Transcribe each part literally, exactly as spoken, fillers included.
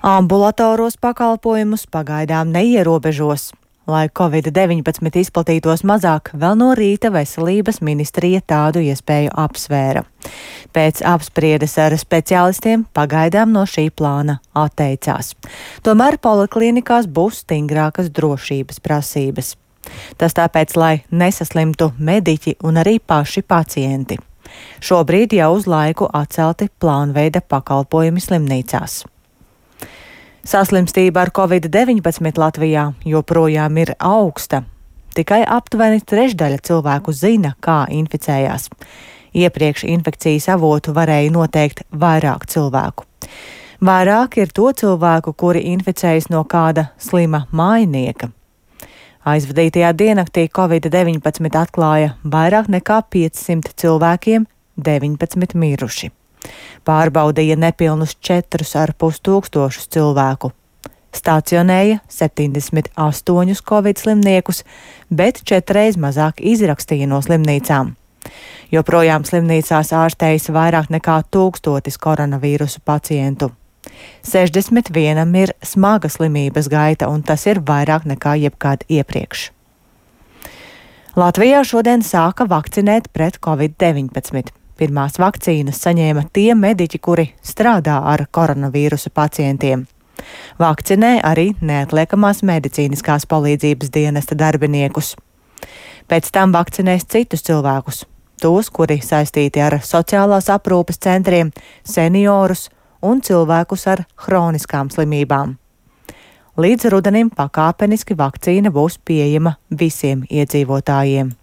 Ambulatoros pakalpojumus pagaidām neierobežos. Lai covid deviņpadsmit izplatītos mazāk, vēl no rīta Veselības ministrija tādu iespēju apsvēra. Pēc apspriedes ar speciālistiem pagaidām no šī plāna atteicās. Tomēr poliklinikās būs stingrākas drošības prasības. Tas tāpēc, lai nesaslimtu mediķi un arī paši pacienti. Šobrīd jau uz laiku atcelti plānveida pakalpojumi slimnīcās. Saslimstība ar covid deviņpadsmit Latvijā joprojām ir augsta. Tikai aptuveni trešdaļa cilvēku zina, kā inficējās. Iepriekš infekcijas avotu varēja noteikt vairāk cilvēku. Vairāk ir to cilvēku, kuri inficējas no kāda slima mājnieka. Aizvadītajā diennaktī covid deviņpadsmit atklāja vairāk nekā piecsimt cilvēkiem, deviņpadsmit miruši. Pārbaudīja nepilnus četrus ar pus tūkstošus cilvēku. Stacionēja septiņdesmit astoņus covid slimniekus, bet četreiz mazāk izrakstīja no slimnīcām. Joprojām slimnīcās ārstējas vairāk nekā tūkstotis koronavīrusu pacientu. sešdesmit vienam ir smaga slimības gaita, un tas ir vairāk nekā jebkad iepriekš. Latvijā šodien sāka vakcinēt pret covid deviņpadsmit. Pirmās vakcīnas saņēma tie mediķi, kuri strādā ar koronavīrusa pacientiem. Vakcinē arī neatliekamās medicīniskās palīdzības dienesta darbiniekus. Pēc tam vakcinēs citus cilvēkus, tos, kuri saistīti ar sociālās aprūpes centriem, seniorus un cilvēkus ar hroniskām slimībām. Līdz rudenim pakāpeniski vakcīna būs pieejama visiem iedzīvotājiem.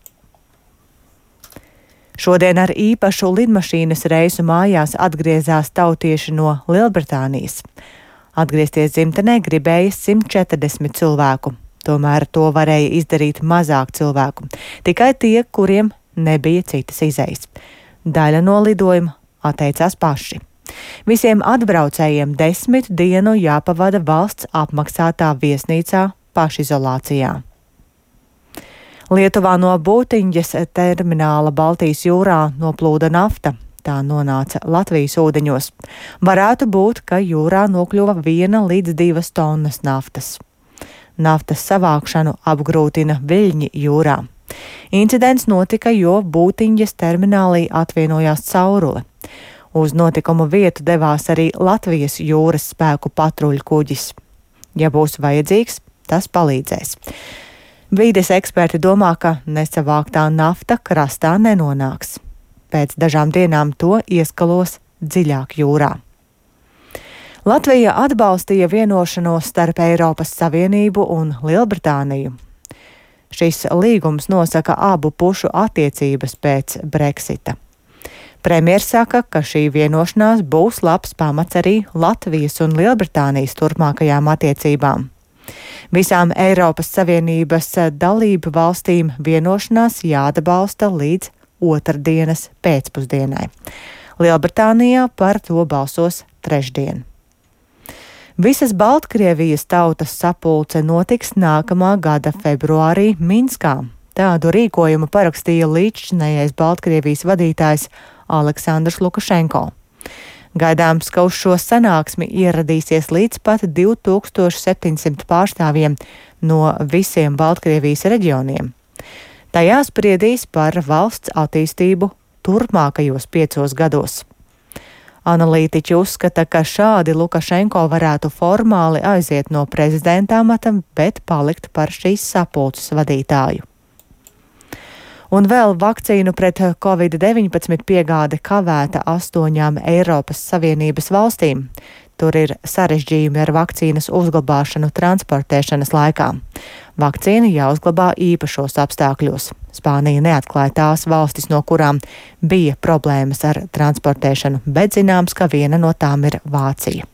Šodien ar īpašu lidmašīnas reisu mājās atgriezās tautieši no Lielbritānijas. Atgriezties dzimtenē gribēja simt četrdesmit cilvēku, tomēr to varēja izdarīt mazāk cilvēku, tikai tie, kuriem nebija citas izejas. Daļa no lidojuma atteicās paši. Visiem atbraucējiem desmit dienu jāpavada valsts apmaksātā viesnīcā pašizolācijā. Lietuvā no Būtiņģes termināla Baltijas jūrā noplūda nafta. Tā nonāca Latvijas ūdeņos. Varētu būt, ka jūrā nokļuva viena līdz divas tonnas naftas. Naftas savākšanu apgrūtina viļņi jūrā. Incidents notika, jo Būtiņģes terminālī atvienojās caurule. Uz notikumu vietu devās arī Latvijas jūras spēku patruļu kuģis. Ja būs vajadzīgs, tas palīdzēs. Vīdes eksperti domā, ka nesavāktā nafta krastā nenonāks. Pēc dažām dienām to ieskalos dziļāk jūrā. Latvija atbalstīja vienošanos starp Eiropas Savienību un Lielbritāniju. Šis līgums nosaka abu pušu attiecības pēc Brexita. Premjers saka, ka šī vienošanās būs labs pamats arī Latvijas un Lielbritānijas turpmākajām attiecībām. Visām Eiropas Savienības dalību valstīm vienošanās jāatbalsta līdz otrdienas pēcpusdienai. Lielbritānijā par to balsos trešdien. Visas Baltkrievijas tautas sapulce notiks nākamā gada februārī Minskā. Tādu rīkojumu parakstīja līdzšinējais Baltkrievijas vadītājs Aleksandrs Lukašenko. Gaidāms, ka uz šo sanāksmi ieradīsies līdz pat divi tūkstoši septiņsimt pārstāvjiem no visiem Baltkrievijas reģioniem. Tajā spriedīs par valsts attīstību turpmākajos piecos gados. Analītiķi uzskata, ka šādi Lukašenko varētu formāli aiziet no prezidenta amata, bet palikt par šīs sapulces vadītāju. Un vēl vakcīnu pret covid deviņpadsmit piegāde kavēta astoņām Eiropas Savienības valstīm. Tur ir sarežģījumi ar vakcīnas uzglabāšanu transportēšanas laikā. Vakcīna jāuzglabā īpašos apstākļos. Spānija neatklāja tās valstis, no kurām bija problēmas ar transportēšanu, bet zināms, ka viena no tām ir Vācija.